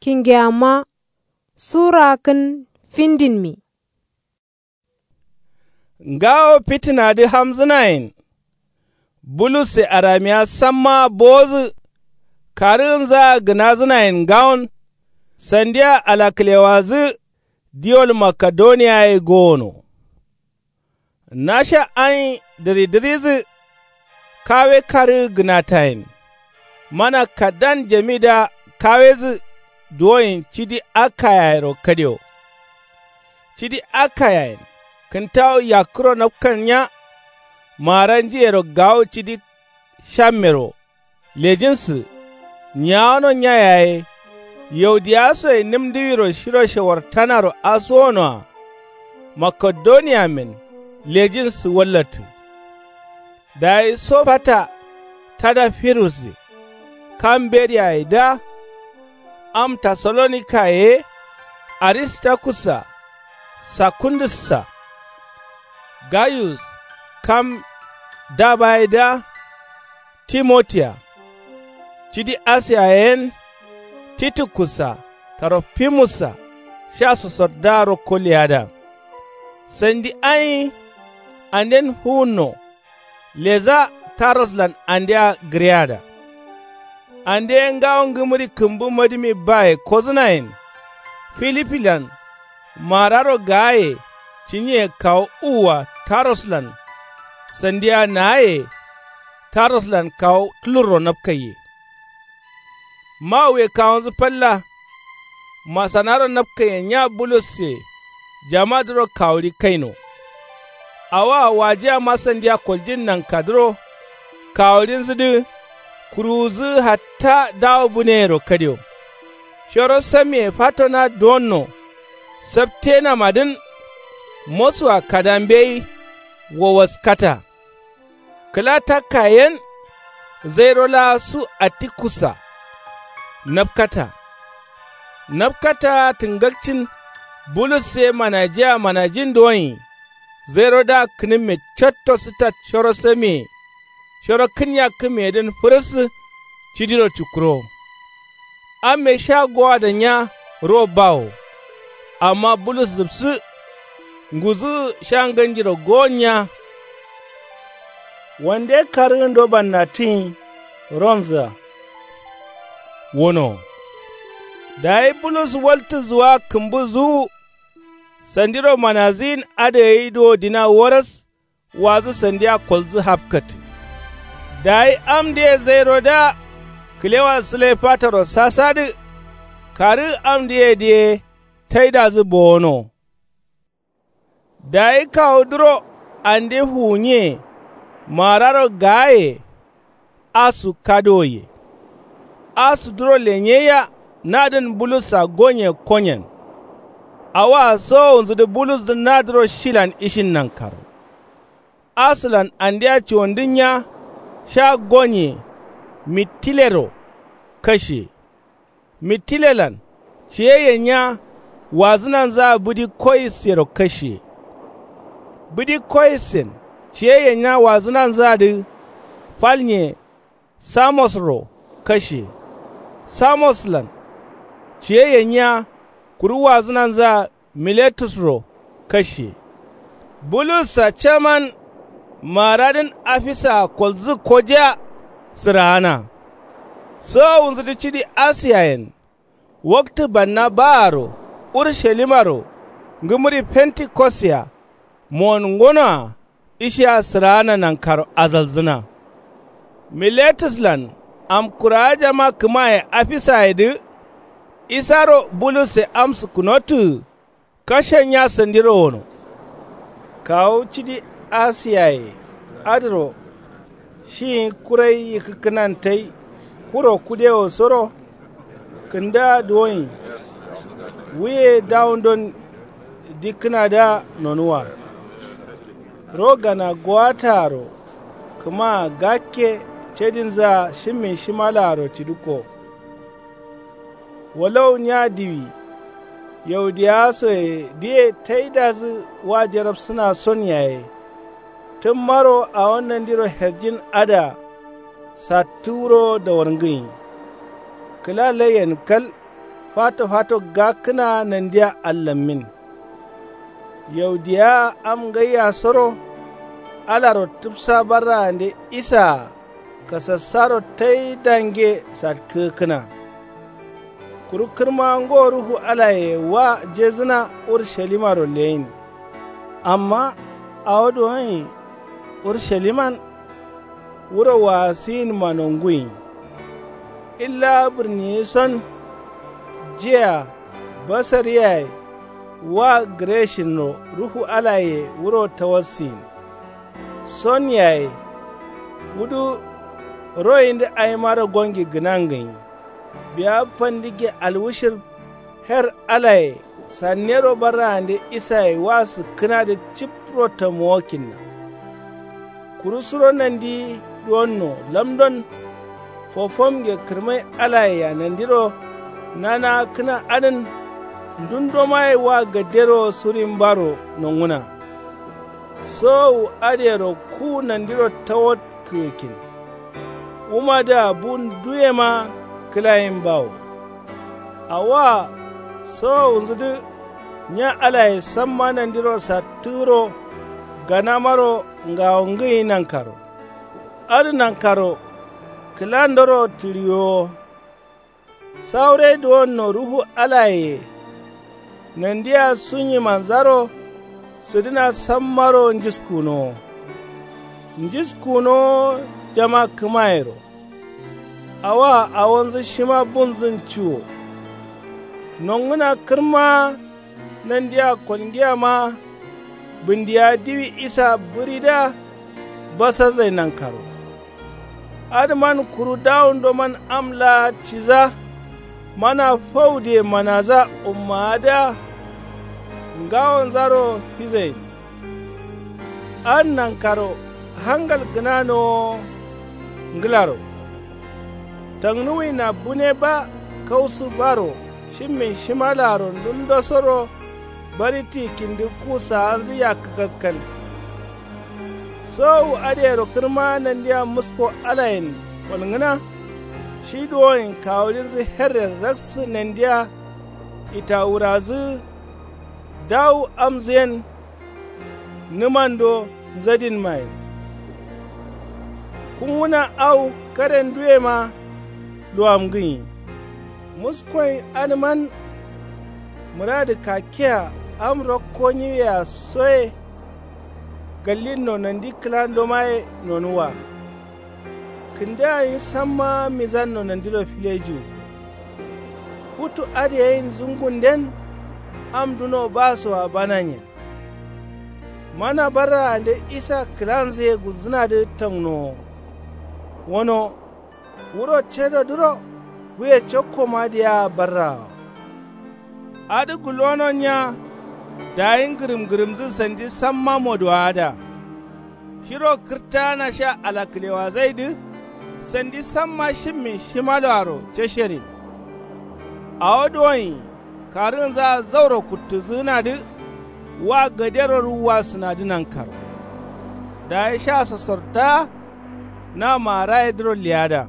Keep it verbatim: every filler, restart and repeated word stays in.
Kingeyamma. Sura kǝn findinmi. Ngawo fitǝnadǝ hamzǝnayen. Bulusse aramiya sammaa bowozǝ. Karǝgǝnzaa gǝnazǝnayen ngawon. Sandiya alakǝlewadǝ diwol makedoniya ye gowono. Nasha ain dǝridǝridǝ. Kawe karǝgǝ gǝnatayen. Mana kaddan jamidǝa kawedǝ duwoyen cidi akayayero kadio. Cidi akayayen kǝntawu yakkǝro nafkanya. Maaranjiyero gawo cidi shammero lejinsǝ. Nyawano nya yaye. Yaudiyasoye nǝmdǝwiro shiro shewartanaro asuwonoa. Makedoniyamen lejinsǝ wallattǝ. Dayi sopata tada firusse. Kam beriyaye da. Am tesalonika ye. Aristakussa. Sakundǝssa. Gayus kam dabaye da. Timotiya. Cidi asiya yen. Titikussa. Tarofimussa. Sha sosodda rokko leyada. Sandi ain. Anden fuwunno. Leza taroslan andea gǝreyada. Ande ngawo ngǝmǝri kǝmbu madǝmi baye kozǝnayen. Filipilan. Mararo gaaye. Cinye kawu uwua taroslan. Sandiya naaye. Taroslan kawu tulurro nafkaiye. Mawuye kawunzǝ falla. Masanaro nafkaiye nya bulusse. Jamadǝro kawuɍi kaino. Awoa wajiyama sandiya koljin nankadǝro. Kawuɍinzǝdǝ. Kuruwuzǝ hatta dawo buneyero kadio. Shoro samiye fatona duwonno. Saptenamadǝn. Mosua kadambeyi. Wowaskata. Kǝla takka yen. Zairo laa su attikussa. Nafkata. Nafkata tǝngakcin. Bulus ye manajiya manajin duwonyi. Zairodǝa kǝnǝmme cotto sǝtat shoro samiye. Shoro kǝn yakkǝmeyedǝn fǝrǝssǝ. Cidiro cukkurowo. Amme sha gowadanya. Ro bawo. Amma bulus zǝbsǝ. Nguzǝ sha nganjiro gowonya. Wande karǝgǝndo bannatǝnyi. Ronzǝa. Wono. Dayi bulus waltǝ zuwa kǝmbu zuwu. Sandiro manazǝyin adǝ gai duwo dina waras. Wazǝ sandiya kolzǝ hafkatǝ. Dayi amdǝye zairodǝa. Kǝlewa sǝlai fataro sasadǝ. Karǝ amdǝyedǝ ye. Taidazǝ bowono. Dayi kawudǝro ande fuwunye. Mararo gaaye. Asu kadowoye. Asudǝro lenyeyya. Nadǝn bulussa gonye konyen. Awoa sowowunzudǝ bulusdǝ nadǝro shilan ishin nankaro. Asulan andea cuwandǝnya. Sha gonye. Mittilero. Kashe. Mittilelan. Ciyeyye nya. Wazǝnanzaa bǝdi koyissero kashe. Bǝdi koyissen. Ciyeyye nya wazǝnanzaadǝ. Falnye. Samosro. Kashe. Samoslan. Ciyeyye nya. Kuru wazǝnanzaa. Miletusro. Kashe. Bulussa caman. Maradǝn afisaa kolzǝ kojiya. Sǝraana. Sowowunzudǝ cidi asiyayen. Waktǝ banna baaro. Urushalimaro. Ngǝmǝri fentikostea. Mowon ngonoa. Ishia sǝraana nankaro azalzǝna. Miletuslan. Amkurawa jama kǝmaye afisayedǝ. Isaro bulusse amsǝ kunottǝgǝ. Kashenya sandiro wono. Kawu cidi asiyaye. Adǝro. Shiyi kurai yikkǝkkǝnan tai. Kuro kudewosoro. Kǝndǝa duwonyi. Wuye dawundon. Dikkǝnadǝa nonuwa. Ro gana gowataaro. Kǝmaa gakke. Cedinzǝa shimmin shimalaaro cidǝkko. Walau nya diwi. Yaudiyawasoye diye taidazǝ wa jarabsǝna son yaye. Tǝmmaro awo nandiro herjin adǝa. Sattǝ wuro dawarngǝnyi. Kǝla laiyen kal. fato fato gakkǝna nandiya allammin. Yaudiya am ngaiya soro alaro tǝbsa barraande isaa kasassaro tai dange satkǝgǝkkǝna. Kuru kǝrma ngo ruhu alaye wa jesǝna urushalimaro leyin. Amma awo duwonyi urshaliman wuro waasiyinma nonguyi. Illa bǝrniyison jiya basar yaye wa gǝreshinro ruhu alaye wuro tawassiyin. Son yaye wudu royindǝ awimaro gongi gǝnangǝnyi. Biya fandǝgge alwushir her alaye sannero barraande isaye wa sǝkkǝnadǝ cip rottomo wakkinna. Kuru suro nandi duwonno lamdon fofomge kǝrmai alayea nandiro nanaakkǝna adǝn ndundo maye wa gadero surin baro nongǝna. Sowowu adǝyero ku nandiro tawakkǝgǝkkin. Wumadǝa bu nduyema kǝlayin bawo. Awoa sowowunzudǝ nya alaye samma nandiro sattǝgǝro ganamaro ngawongǝnyi nankaro. Adǝ nankaro kǝlandoro tǝɍiwowo. Sawure duwonno ruhu alayeye nandia sunyimanzaro sǝdǝna sammaro njiskunowo. Njiskunowo jama kǝmayero. Awoa awonzǝ shima bunzǝn ciwo. Nongǝna kǝrma nandia kolngiyama bǝndiya diwi isa bǝridǝa basarzai nankaro. Adǝman kuru dawundoman am laa ciza mana faudiye manaza ummaadǝa ngawonzaro fizain. Adǝ nankaro hangal gǝnanowo ngǝlaro. Tangnuwina bune ba kausu baro shimmin shimaloaro ndundosoro bari tikkindǝ ku saanzǝ yakkǝ kakkal. Sowowu adǝyero kǝrma nandia musko alayen kolngǝna. Shi duwoyen kawulinzǝ herren raksǝ nandia itawurazǝ dawu amzǝyen nǝmando nzadinmayen. Kunguna au karenduwema luwamgǝnyi. Muskoyin adǝman mǝradǝ kakkea am rakko nyiwea soye. Gallinno nandi kǝlandomaye nonuwwa. Kǝndǝa nyi samma mizanno nandiro filejiwu. Futu adǝ yeyin zungunden am duno basoa bananyen. Mana barraande isa kǝlanzǝye gulzǝnadǝ tangnowo. Wono wuro cedodǝro buye cokkomadǝyea barrawo. Adǝ gulwono nya dayi ngǝrǝm ngǝrǝmdǝ sandi samma moduwaada. Shiro kǝrtaana sha alakǝlewazaidǝ sandi samma shimmin shimaloaro casherin. Awo duwonyi karǝgǝnzaa zauro kuttǝzǝgǝnadǝ wa gadero ruwwa sǝnadǝ nankaro. Dayi sha sosortaa na maarayedǝro leyada.